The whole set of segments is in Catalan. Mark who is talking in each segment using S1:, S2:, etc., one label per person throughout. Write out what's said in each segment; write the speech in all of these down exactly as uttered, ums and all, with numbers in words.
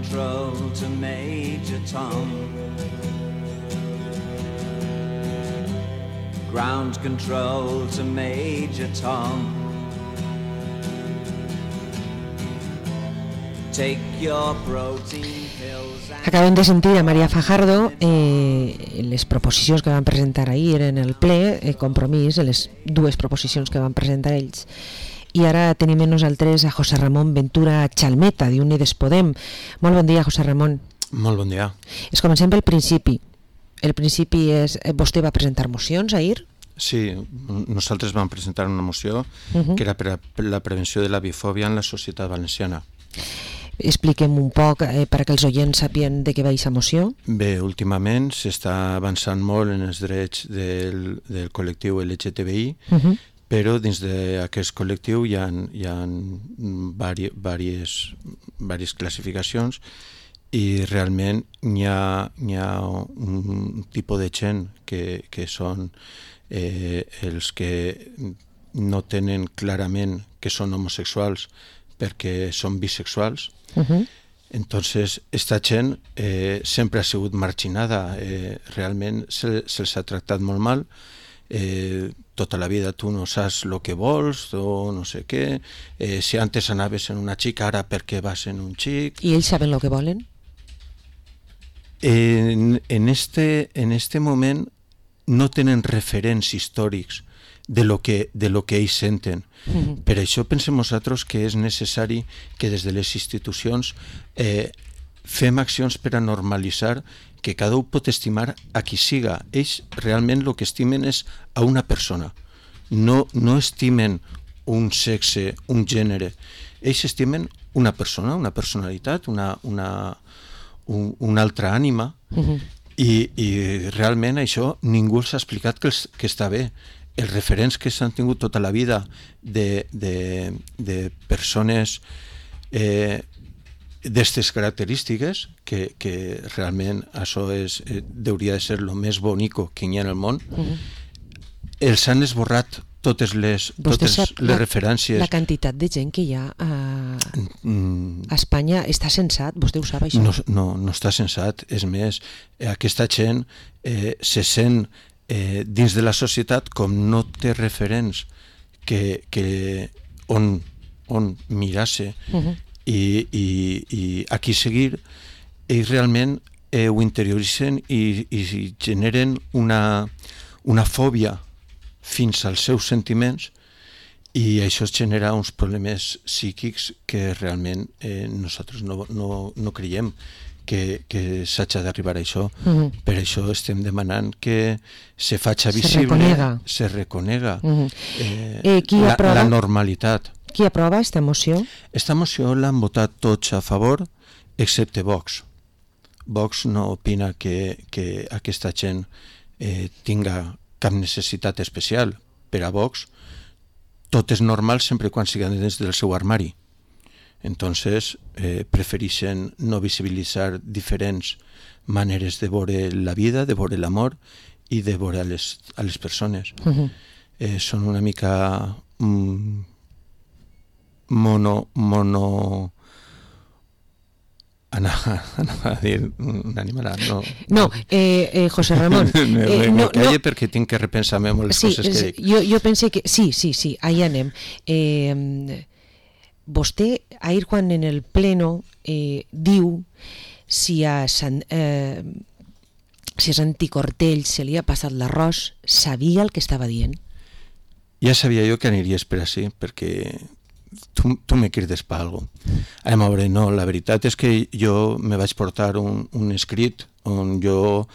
S1: control to Major Tom. Ground control to Major Tom. Take your protein pills.
S2: Acabem de sentir a Maria Fajardo. Eh, les proposicions que van presentar ahir eren el ple, el compromís, les dues proposicions que van presentar ells. I ara tenim amb nosaltres a José Ramon Ventura Chalmeta, d'Unides Podem. Molt bon dia, José Ramon.
S3: Molt bon dia.
S2: Es comencem pel principi. El principi és... Vostè va presentar mocions ahir?
S3: Sí, nosaltres vam presentar una moció uh-huh. que era per a la prevenció de la bifòbia en la societat valenciana.
S2: Expliquem un poc eh, perquè els oients sapien de què va aquesta moció.
S3: Bé, últimament s'està avançant molt en els drets del, del col·lectiu L G T B I, uh-huh. però dins d'aquest col·lectiu hi ha, hi ha vari, varies, varies classificacions i realment hi ha, hi ha un tipus de gent que, que són eh, els que no tenen clarament que són homosexuals perquè són bisexuals. Uh-huh. Entonces, esta gent eh, sempre ha sigut marginada, eh, realment se, se'ls ha tractat molt mal, eh, tota la vida tu no saps el que vols o no sé què, eh, si antes anaves en una xica, ara per què vas en un xic.
S2: I ells saben el que volen?
S3: En, en, este, en este moment no tenen referents històrics de lo que, de lo que ells senten. Uh-huh. Per això pensem nosaltres que és necessari que des de les institucions eh, fem accions per a normalitzar que cada un pot estimar a qui siga. Ells realment el que estimen és a una persona. No, no estimen un sexe, un gènere. Ells estimen una persona, una personalitat, una, una, un, una altra ànima. Uh-huh. I, I realment això ningú els ha explicat que, els, que està bé. Els referents que s'han tingut tota la vida de, de, de persones eh, d'aquestes característiques, que, que realment això és, eh, hauria de ser el més bonico que hi ha en el món, uh-huh. els han esborrat totes les, totes les la, referències.
S2: La quantitat de gent que hi ha a, a Espanya està censat, vostè ho sap això?
S3: No, no, no està censat, és més, aquesta gent eh, se sent Eh, dins de la societat, com no té referents que, que on, on mirar-se uh-huh. i, i, i a qui seguir, ells realment eh, ho interioritzen i, i generen una, una fòbia fins als seus sentiments i això genera uns problemes psíquics que realment eh, nosaltres no, no, no creiem que, que s'hagi d'arribar a això. Uh-huh. Per això estem demanant que se faci visible,
S2: se reconega,
S3: se reconega uh-huh. eh,
S2: eh,
S3: la, la normalitat.
S2: Qui aprova aquesta moció?
S3: Esta moció l'han votat tots a favor, excepte Vox. Vox no opina que, que aquesta gent eh, tinga cap necessitat especial. Per a Vox tot és normal sempre quan siguin dins del seu armari. Entonces, eh, prefereixen no visibilitzar diferents maneres de veure la vida, de veure l'amor i de veure a les, a les persones. Uh-huh. Eh, són una mica mm, mono... mono anava, anava a dir un animal. No,
S2: no eh, eh, José Ramon.
S3: me
S2: eh,
S3: me
S2: no,
S3: calle
S2: no.
S3: perquè tinc que repensar-me molt les
S2: sí,
S3: coses que dic.
S2: Jo, jo pense que... Sí, sí, sí, ahí anem. Eh... Vostè, ahir quan en el pleno eh, diu si a, Sant, eh, si a Santi Cortell se li ha passat l'arròs, sabia el que estava dient?
S3: Ja sabia jo que aniries per així, perquè tu, tu me crides per alguna cosa. Anem a veure, no, la veritat és que jo me vaig portar un, un escrit on jo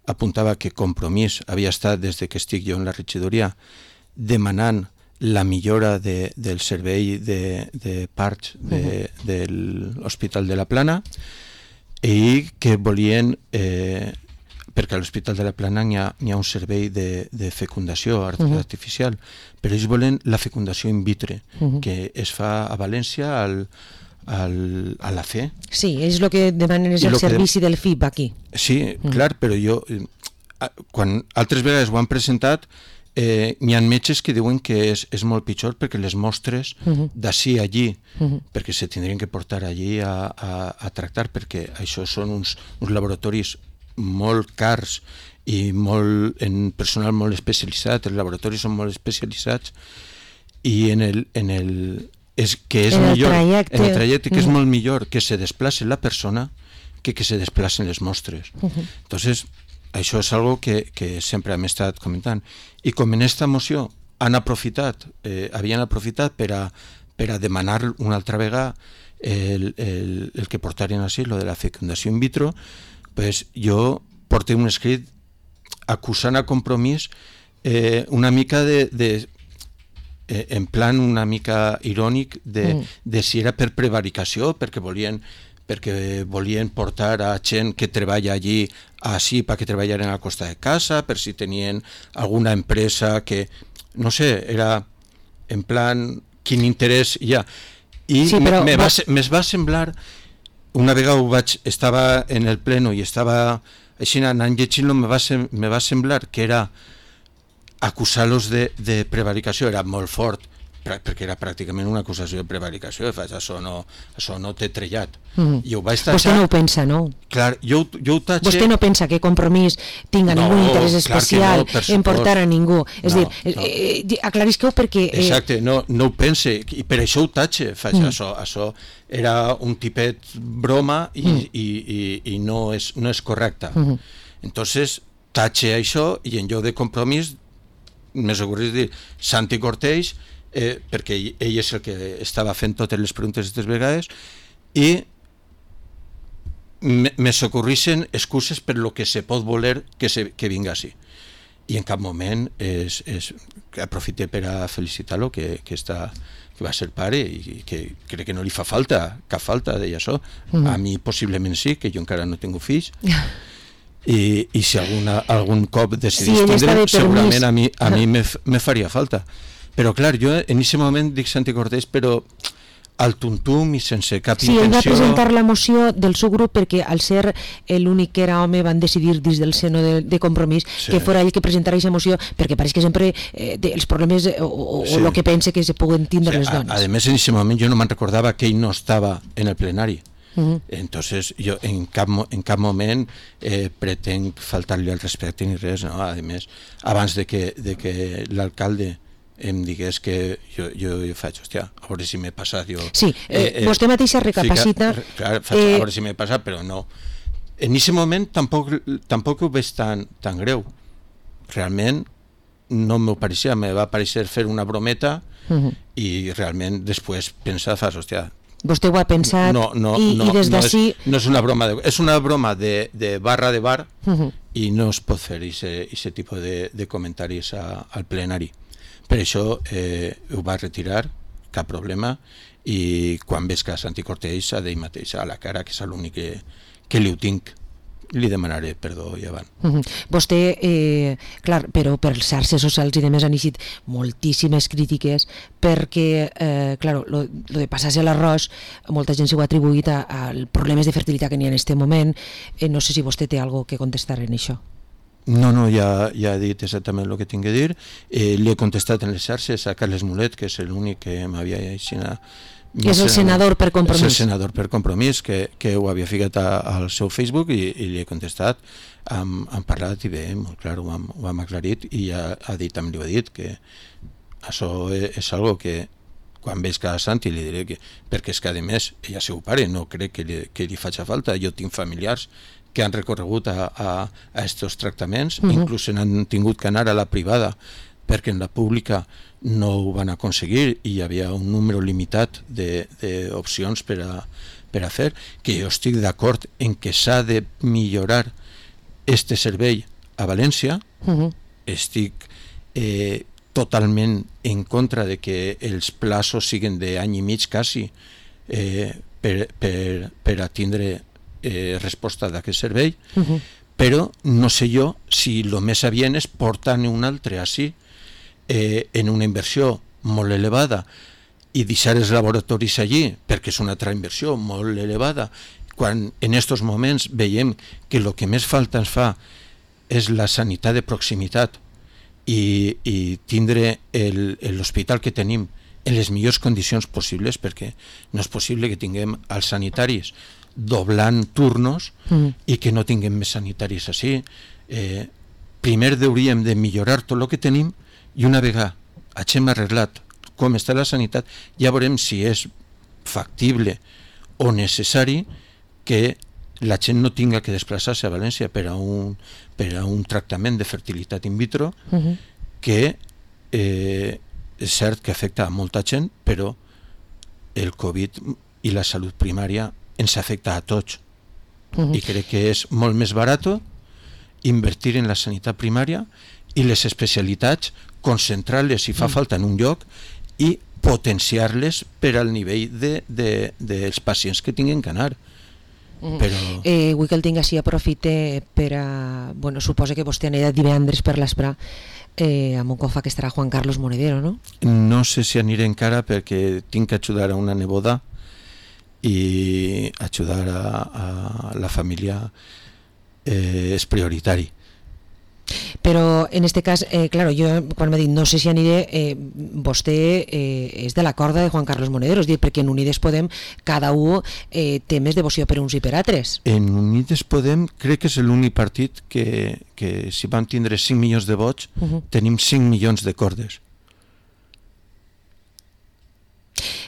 S3: apuntava que Compromís havia estat, des que estic jo en la regidoria, demanant la millora de, del servei de, de parts de, uh-huh. de l'Hospital de la Plana i que volien, eh, perquè a l'Hospital de la Plana hi ha, hi ha un servei de, de fecundació uh-huh. artificial, però ells volen la fecundació in vitro, uh-huh. que es fa a València al, al, a la fe.
S2: Sí, és el que demanen, és el servici de... del F I P aquí.
S3: Sí, uh-huh. clar, però jo, quan altres vegades ho han presentat, eh, n'hi ha metges que diuen que és, és molt pitjor perquè les mostres uh-huh. d'ací a allí, uh-huh. perquè se tindrien que portar allí a, a, a tractar, perquè això són uns, uns laboratoris molt cars i molt, en personal molt especialitzat, els laboratoris són molt especialitzats i en el, en el és, que és
S2: en
S3: millor,
S2: el trajecte,
S3: en el trajecte que
S2: uh-huh.
S3: és molt millor que se desplace la persona que que se desplacen les mostres. Uh-huh. Entonces, això és algo que, que sempre hem estat comentant. I com en esta moció han aprofitat, eh, havien aprofitat per a, per a demanar una altra vegada el, el, el que portarien així, lo de la fecundació in vitro, pues jo porté un escrit acusant a Compromís eh, una mica de, de eh, en plan una mica irònic de, mm. de si era per prevaricació, perquè volien perquè volien portar a gent que treballa allí així perquè treballaren a la costa de casa, per si tenien alguna empresa que, no sé, era en plan quin interès hi ha. I sí, però... me, va, me va semblar, una vegada ho vaig, estava en el pleno i estava així anant llegint-lo, me va, sem, me va semblar que era acusar-los de, de prevaricació, era molt fort, perquè era pràcticament una acusació de prevaricació, faig, això no, això no té trellat. Mm. I ho vaig tachar.
S2: Vostè no ho pensa, no?
S3: Clar, jo, jo ho tatxe...
S2: Vostè no pensa que Compromís tinga no, ningú interès especial no, en portar a ningú. És no, dir, no. Eh, eh, aclarisqueu perquè... Eh...
S3: Exacte, no, no ho pense, i per això ho tatxe, faig, mm. això, això era un tipet broma i, mm. i, i, i no, és, no és correcte. Mm. Entonces, tatxe això i en lloc de Compromís, més segur és dir, Santi Corteix, Eh, perquè ell, ell és el que estava fent totes les preguntes aquestes vegades i me, me socorrixen excuses per lo que se pot voler que, se, que vinga així i en cap moment és, és, que aprofite per a felicitar-lo que, que, està, que va ser pare i que crec que no li fa falta cap falta deia això, mm. a mi possiblement sí, que jo encara no tinc fills i, i si alguna, algun cop decidís sí, tindre segurament a mi, a mi me, me faria falta. Però clar, jo en aquest moment dic Santi Cortés, però al tuntum i sense cap
S2: sí,
S3: intenció... Sí,
S2: ell va presentar la moció del seu grup perquè al ser l'únic que era home van decidir dins del seno de, de Compromís sí. que fora ell que presentara aquesta moció perquè pareix que sempre eh, els problemes o, o, sí. o el que pense que se puguen tindre sí, les dones.
S3: A, a més, en aquest moment jo no me'n recordava que ell no estava en el plenari. Uh-huh. Entonces jo en cap, en cap moment eh, pretenc faltar-li al respecte ni res, no? A més, abans de que, de que l'alcalde em digués que jo, jo, jo faig, hòstia, a veure si m'he passat jo...
S2: Sí, eh, eh, vostè mateixa recapacita...
S3: Fica, clar, faig, eh, a veure si m'he passat, però no. En aquest moment tampoc, tampoc ho veig tan, tan greu. Realment no m'ho pareixia, me va pareixer fer una brometa uh-huh. i realment després pensar, fas, hòstia...
S2: Vostè ho ha pensat
S3: no, no,
S2: i,
S3: no,
S2: i des d'ací...
S3: No, no és una broma, de, és una broma de, de barra de bar uh-huh. i no es pot fer aquest tipus de, de comentaris a, al plenari. Per això eh, ho va retirar, cap problema, i quan veig que Santi Corteix a d'ell mateix a la cara, que és l'únic que, que li ho tinc, li demanaré perdó i avant.
S2: Uh-huh. Vostè, eh, clar, però per les xarxes socials i demés han eixit moltíssimes crítiques perquè, eh, clar, lo, lo de passar-se l'arròs, molta gent s'ho ha atribuït als problemes de fertilitat que n'hi ha en aquest moment. Eh, no sé si vostè té alguna que contestar en això.
S3: No, no, ja, ja he dit exactament el que tinc que dir. Eh, li he contestat en les xarxes a Carles Mulet, que és l'únic que m'havia aixinat.
S2: Que és el senador per Compromís.
S3: És el senador per Compromís, que, que ho havia ficat a, al seu Facebook i, i li he contestat. Hem, hem parlat i bé, molt clar, ho hem, ho hem aclarit i ja ha dit, també li ho he dit, que això és, és algo que quan veig que a Santi li diré que, perquè és que a més ella seu pare, no crec que li, que li faci falta, jo tinc familiars que han recorregut a, a, a estos tractaments, uh-huh. inclús han tingut que anar a la privada perquè en la pública no ho van aconseguir i hi havia un número limitat d'opcions per a, per a fer, que jo estic d'acord en que s'ha de millorar este servei a València, uh-huh. estic eh, totalment en contra de que els plaços siguin d'any i mig quasi eh, per, per, per a tindre Eh, resposta d'aquest servei, uh-huh. però no sé jo si el més adient és portar-ne un altre així eh, en una inversió molt elevada i deixar els laboratoris allí perquè és una altra inversió molt elevada quan en aquests moments veiem que el que més falta ens fa és la sanitat de proximitat i, i tindre el, l'hospital que tenim en les millors condicions possibles, perquè no és possible que tinguem els sanitaris doblant turnos mm. i que no tinguem més sanitaris així. Eh, primer hauríem de millorar tot el que tenim i una vegada hagin arreglat com està la sanitat, ja veurem si és factible o necessari que la gent no tinga que desplaçar-se a València per a un, per a un tractament de fertilitat in vitro uh-huh. que eh, és cert que afecta a molta gent, però el Covid i la salut primària ens afecta a tots uh-huh. i crec que és molt més barat invertir en la sanitat primària i les especialitats, concentrar-les si fa uh-huh. falta en un lloc i potenciar-les per al nivell de, de, dels pacients que tinguin que anar.
S2: Mm. Però... Eh, vull que el tinc així, aprofite per a... Bueno, suposa que vostè anirà divendres per l'Esprà eh, amb un cofa que estarà Juan Carlos Monedero, no?
S3: No sé si aniré encara perquè tinc que ajudar a una neboda i ajudar a, a la família eh, és prioritari.
S2: Però en este cas, eh, claro, jo quan m'ha dit no sé si aniré, eh, vostè eh, és de la corda de Juan Carlos Monedero, és dir, perquè en Unides Podem cada un eh, té més devoció per uns i per altres.
S3: En Unides Podem crec que és l'únic partit que, que si van tindre cinc milions de vots uh-huh. tenim cinc milions de cordes.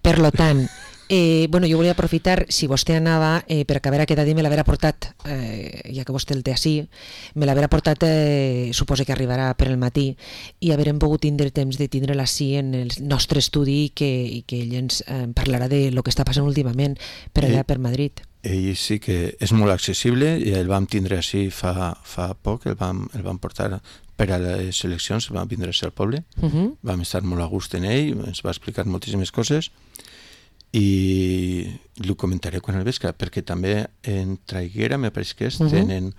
S2: Per lo tant, Eh, bueno, jo volia aprofitar, si vostè anava, eh, per acabar aquest dia me l'haver portat, eh, ja que vostè el té així, me l'haver portat, eh, suposo que arribarà per el matí, i haurem pogut tindre temps de tindre-la així en el nostre estudi i que, i que ell ens eh, parlarà de lo que està passant últimament per allà, ell, per Madrid.
S3: Ell sí que és molt accessible i el vam tindre així fa, fa poc, el vam, el vam portar per a les eleccions, vam vindre al poble, uh-huh. vam estar molt a gust en ell, ens va explicar moltíssimes coses, i ho comentaré quan el veig, perquè també en Traiguera, me pareix que és, uh-huh. tenen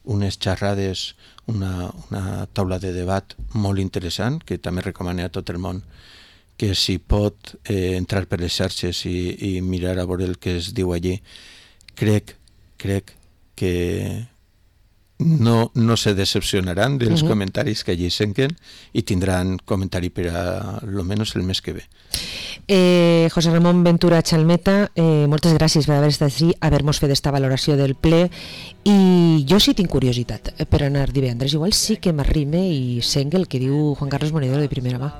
S3: unes xerrades, una, una taula de debat molt interessant, que també recomano a tot el món que si pot eh, entrar per les xarxes i, i mirar a veure el que es diu allí. Crec, crec que no, no se decepcionaran dels uh-huh. comentaris que allí senquen i tindran comentari per a lo menos el mes que ve.
S2: Eh, José Ramón Ventura Chalmeta, eh, moltes gràcies per haver estat així, haver-nos fet esta valoració del ple, i jo sí tinc curiositat per anar divendres, igual sí que m'arrime i sent el que diu Juan Carlos Monedero de primera mà.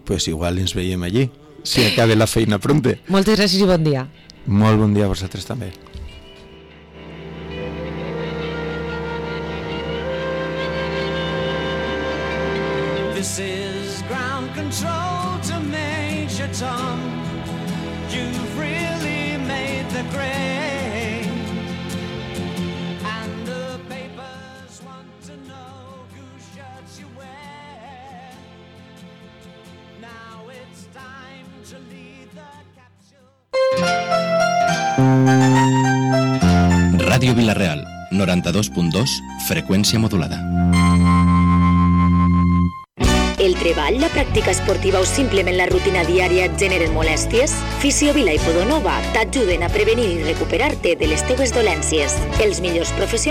S3: Pues igual ens veiem allí, si acabe la feina pronte.
S2: Moltes gràcies i bon dia.
S3: Molt bon dia a vosaltres també.
S1: This is ground control to Major Tom. You've really made the grade. And the papers want to know whose shirts you wear. Now it's time to lead the capsule.
S4: Ràdio Vila-real, noranta-dos punt dos, freqüència modulada.
S5: El treball, la pràctica esportiva o simplement la rutina diària et generen molèsties? Fisiovila i Podonova t'ajuden a prevenir i recuperar-te de les teves dolències. Els millors professionals